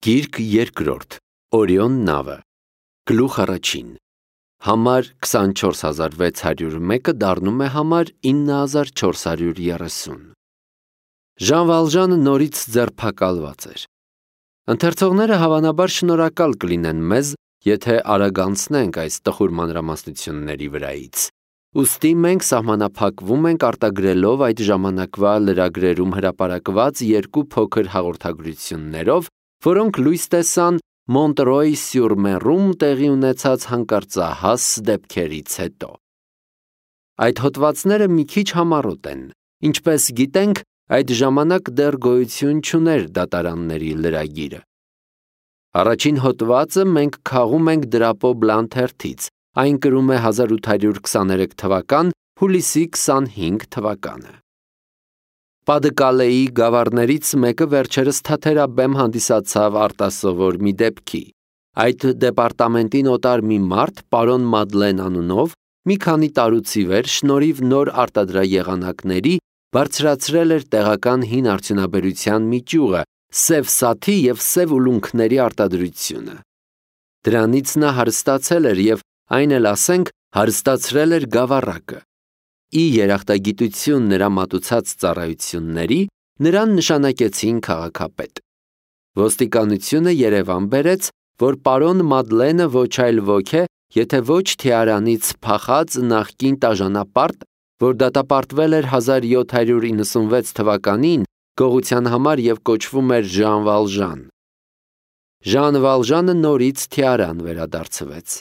Գիրք երկրորդ, Օրիոն նավը, գլուխ առաջին, համար 24601-ը դառնում է համար 9430։ Ժան Վալժանը նորից ձերբակալված էր։ Ընթերցողները հավանաբար շնորհակալ կլինեն մեզ, եթե արագ անցնենք այս տխուր մանրամասնությունների վրայից։ Ուստի մենք սահմանափակվում ենք արտագրելով այդ ժամանակվա լրագրերում հրապարակված երկու փոքր հաղորդագրություններով, որոնք լույս տեսան Մոնտրոյ-սյուր-Մերում տեղի ունեցած հանկարծահաս դեպքերից հետո։ Այդ հոդվածները մի քիչ համառոտ են։ Ինչպես գիտենք, այդ ժամանակ դեռ գոյություն չուներ դատարանների լրագիրը։ Առաջին հոդվածը մենք քաղում ենք Դրապո Բլան թերթից, այն կրում է 1823 թվական, հուլիսի 25 թվականը։ Պադկալեի գավառներից մեկը վերջերս թաթերաբեմ հանդիսացավ արտասովոր մի դեպքի։ Այդ դեպարտամենտի նոտար մի մարդ, պարոն Մադլեն անունով, մի քանի տարուց ի վեր շնորհիվ նոր արտադրաեղանակների բարձրացրել էր տեղական հին արդյունաբերության մի ճյուղը, սև սաթի և սև ուլունքների արտադրությունը։ Դրանից նա հարստացել էր և այն էլ ասենք հարստացրել էր գավառակը։ Ի երախտագիտություն նրա մատուցած ծառայությունների նրան նշանակեցին քաղաքապետ։ Ոստիկանությունը Երևան բերեց, որ պարոն Մադլենը ոչ այլ ոք է, եթե ոչ Թիարանից փախած նախկին տաժանապարտ, որ դատապարտվել էր 1796 թվականին գողության համար և կոչվում էր Ժան Վալժան։ Ժան Վալժանը նորից Թիարան վերադարձվեց։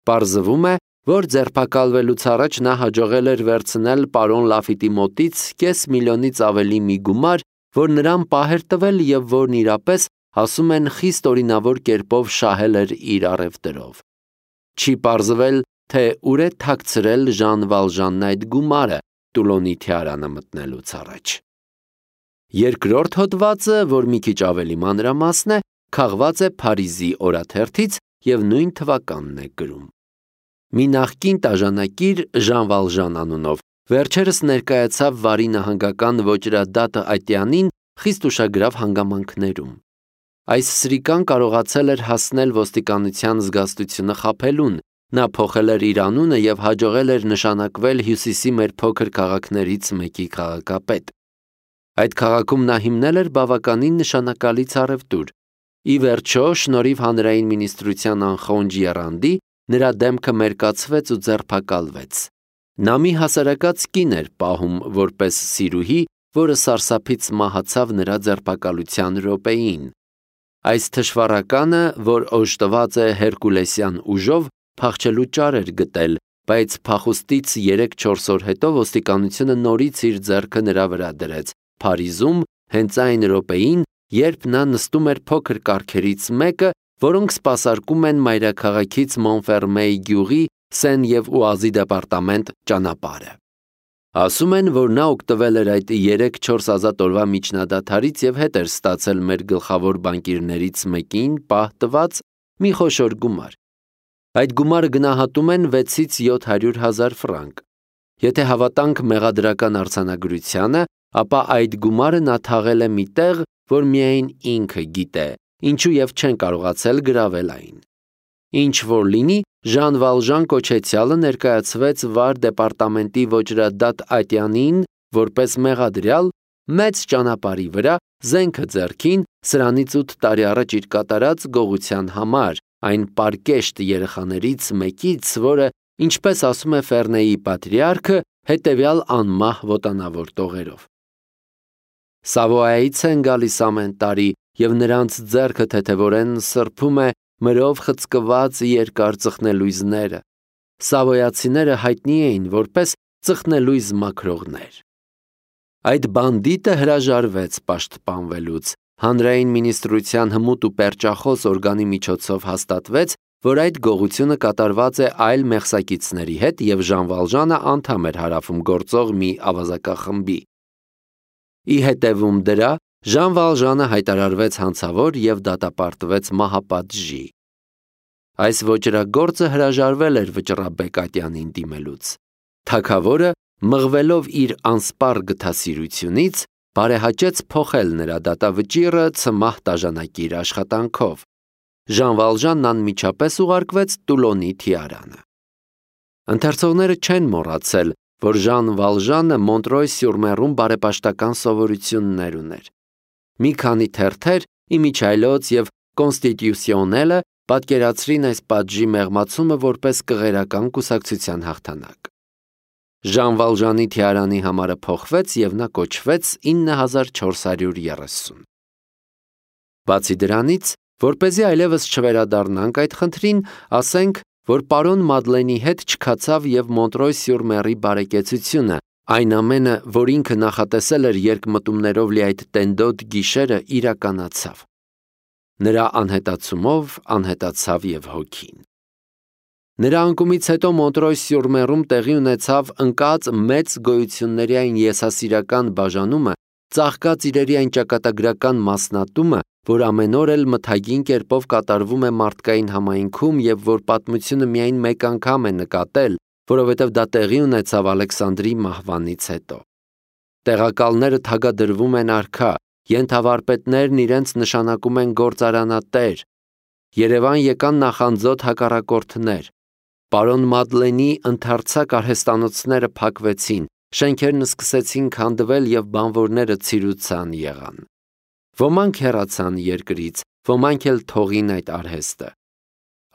Պարզվում է, որ ձերբակալվելուց առաջ նա հաջողել էր վերցնել պարոն Լաֆիտի մոտից $500,000-ից ավելի մի գումար, որ նրան պահ էր տվել և որն իրապես, ասում են, խիստ օրինավոր կերպով շահել էր իր առևտրով։ Չի պարզվել, թե ուր է թաքցրել Ժան Վալժանն այդ գումարը Տուլոնի Թիարանը մտնելուց առաջ։ Երկրորդ հոդվածը, որ մի քիչ ավելի մանրամասն է, քաղված է Փարիզի օրաթերթից և նույն թվականն է գրում։ Մի նախկին տաժանակիր Ժան Վալժան անունով վերջերս ներկայացավ Վարի նահանգական ոճրադատը ատյանին խիստ ուշագրավ հանգամանքներում։ Այս սրիկան կարողացել էր հասնել ոստիկանության զգաստությունը խաբելուն, նա փոխել էր իր անունը և հաջողել էր նշանակվել Հյուսիսի մեր փոքր քաղաքներից մեկի քաղաքապետ։ Այդ քաղաքում նա հիմնել էր բավականին նշանակալից առևտուր։ Ի վերջո, շնորհիվ հանրային մինիստրության անխոնջ եռանդի, նրա դեմքը մերկացվեց ու ձերբակալվեց։ Նա մի հասարակած կին էր պահում որպես սիրուհի, որը սարսափից մահացավ նրա ձերբակալության րոպեին։ Այս թշվառականը, որ օժտված է հերկուլեսյան ուժով, փախչելու ճար էր գտել, բայց փախուստից 3-4 օր հետո ոստիկանությունը նորից իր ձեռքը նրա վրա դրեց Փարիզում, հենց այն րոպեին, երբ նա նստում էր փոքր կառքերից մեկը, որոնք սպասարկում են մայրաքաղաքից Մոնֆերմեի գյուղի Սեն և Ուազի դեպարտամենտ ճանապարհը։ Ասում են, որ նա օգտվել էր այդ 3-4 ազատ օրվա միջնադադարից և հետ էր ստացել մեր գլխավոր բանկիրներից մեկին պահ տված մի խոշոր գումար։ Այդ գումարը գնահատում են 600-700 ֆրանկ։ Եթե հավատանք մեղադրական արձանագրությանը, ապա այդ գումարը նա թաղել է մի տեղ, որ միայն ինքը գիտե, ինչու և չեն կարողացել գրավել այն։ Ինչ որ լինի, Ժան Վալժան կոչեցյալը ներկայացվեց Վար դեպարտամենտի ոճրադատ ատյանին որպես մեղադրյալ, մեծ ճանապարհի վրա, զենքը ձեռքին, սրանից 8 տարի առաջ իր կատարած գողության համար, այն պարկեշտ երեխաներից մեկից, որը, ինչպես ասում է Ֆեռնեի պատրիարքը, հետևյալ անմահ ոտանավոր տողերով։ Սավոայից են գալիս ամեն տարի, և նրանց ձեռքը թեթևորեն սրբում է մրով խցկված երկար ծխնելույզները։ Սավոյացիները հայտնի էին որպես ծխնելույզ մաքրողներ։ Այդ բանդիտը հրաժարվեց պաշտպանվելուց։ Հանրային մինիստրության հմուտ ու պերճախոս օրգանի միջոցով հաստատվեց, որ այդ գողությունը կատարված է այլ մեղսակիցների հետ և Ժան Վալժանը անդամ էր հարավում գործող մի ավազակախմբի։ Ի հետևում դրա Ժան Վալժանը հայտարարվեց հանցավոր և դատապարտվեց մահապատժի։ Այս ոճրագործը հրաժարվել էր Վճռաբեկ ատյանին դիմելուց։ Թագավորը, մղվելով իր անսպառ գթասիրությունից, բարեհաճեց փոխել նրա դատավճիռը ցմահ տաժանակիր աշխատանքով։ Ժան Վալժանն անմիջապես ուղարկվեց Տուլոնի թիարանը։ Ընթերցողները չեն մոռացել, որ Ժան Վալժանը Մոնտրոյ-սյուր-Մերում բարեպաշտական սովորություններ ուներ։ Մի քանի թերթեր Իմիջայլոց և Կոնստիտյուսիոնելը պատկերացրին այս պատժի մեղմացումը որպես կղերական կուսակցության հաղթանակ։ Ժան Վալժանի թիարանի համարը փոխվեց և նա կոչվեց 9430։ Բացի դրանից, որպեսզի այլևս չվերադառնանք այդ խնդրին, ասենք, որ պարոն Մադլենի հետ չքացավ և Մոնտրոյ-սյուր-Մերի բարեկեցությունը, այն ամենը, որ ինքը նախատեսել էր երկմտումներով լի այդ տենդոտ գիշերը, իրականացավ։ Նրա անհետացումով անհետացավ և հոգին։ Նրա անկումից հետո Մոնտրոյ-սյուր-Մերում տեղի ունեցավ ընկած մեծ գոյությունների այն եսասիրական բաժանումը, ծաղկած իրերի այն ճակատագրական մասնատումը, որ ամեն օր էլ մթագին կերպով կատարվում է մարդկային համայնքում և որ պատմությունը միայն մեկ անգամ է նկատել, որովհետև դա տեղի ունեցավ Ալեքսանդրի մահվանից հետո։ Տեղակալները թագադրվում են արքա, ենթավարպետներն իրենց նշանակում են գործարանատեր, Երևան եկան նախանձոտ հակառակորդներ, պարոն Մադլենի ընդարձակ արհեստանոցները փակվեցին, շենքերն սկսեցին քանդվել և բանվորները ցիրուցան եղան։ Ոմանք հեռացան երկրից, ոմանք էլ թողին այդ արհեստը։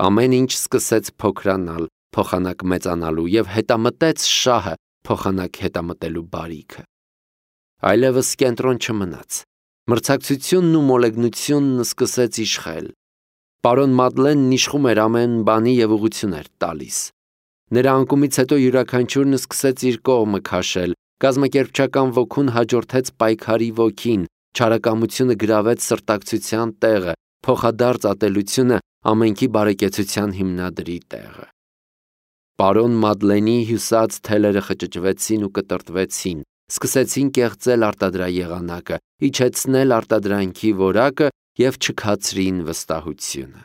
Ամեն ինչ սկսեց փոքրանալ, փոխանակ մեծանալու և հետամտեց շահը, փոխանակ հետամտելու բարիքը։ Այլևս կենտրոն չմնաց։ Մրցակցությունն ու մոլեգնությունն սկսեց իշխել։ Պարոն Մադլենն իշխում էր ամեն բանի և ուղղություն էր տալիս։ Նրա անկումից հետո յուրաքանչյուրն սկսեց իր կողմը քաշել, կազմակերպչական ոգուն հաջորդեց պայքարի ոգին, չարակամությունը գրավեց սրտակցության տեղը, փոխադարձ ատելությունը ամենքի բարեկեցության հիմնադրի տեղը։ Պարոն Մադլենի հյուսած թելերը խճճվեցին ու կտրտվեցին, սկսեցին կեղծել արտադրաեղանակը, իջեցնել արտադրանքի որակը և չքացրին վստահությունը։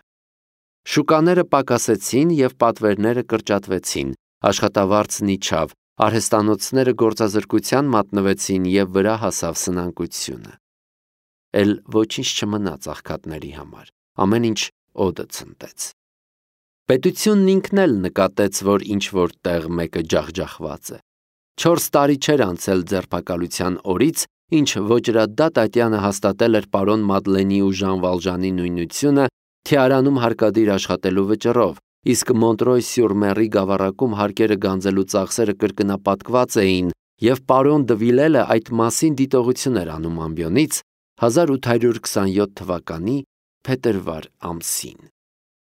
Շուկաները պակասեցին և պատվերները կրճատվեցին, աշխատավարձն իջավ, արհեստանոցները գործազրկության մատնվեցին և վրա հասավ սնանկությունը։ Էլ ոչինչ չմնաց աղքատների համար, ամեն ինչ օդը ցնդեց։ Պետությունն ինքն էլ նկատեց, որ ինչ-որ տեղ մեկը ջախջախված է։ 4 տարի չէր անցել ձերբակալության օրից, ինչ Ոճրադա Տատյանը հաստատել էր պարոն Մադլենի ու Ժան Վալժանի նույնությունը թիարանում հարկադիր աշխատելու վճռով, իսկ Մոնտրոյ-սյուր-Մերի գավառակում հարկերը գանձելու ծախսերը կրկնապատկված էին, և պարոն Դվիլելը այդ մասին դիտողություն էր անում ամբիոնից 1827 թվականի փետրվար ամսին։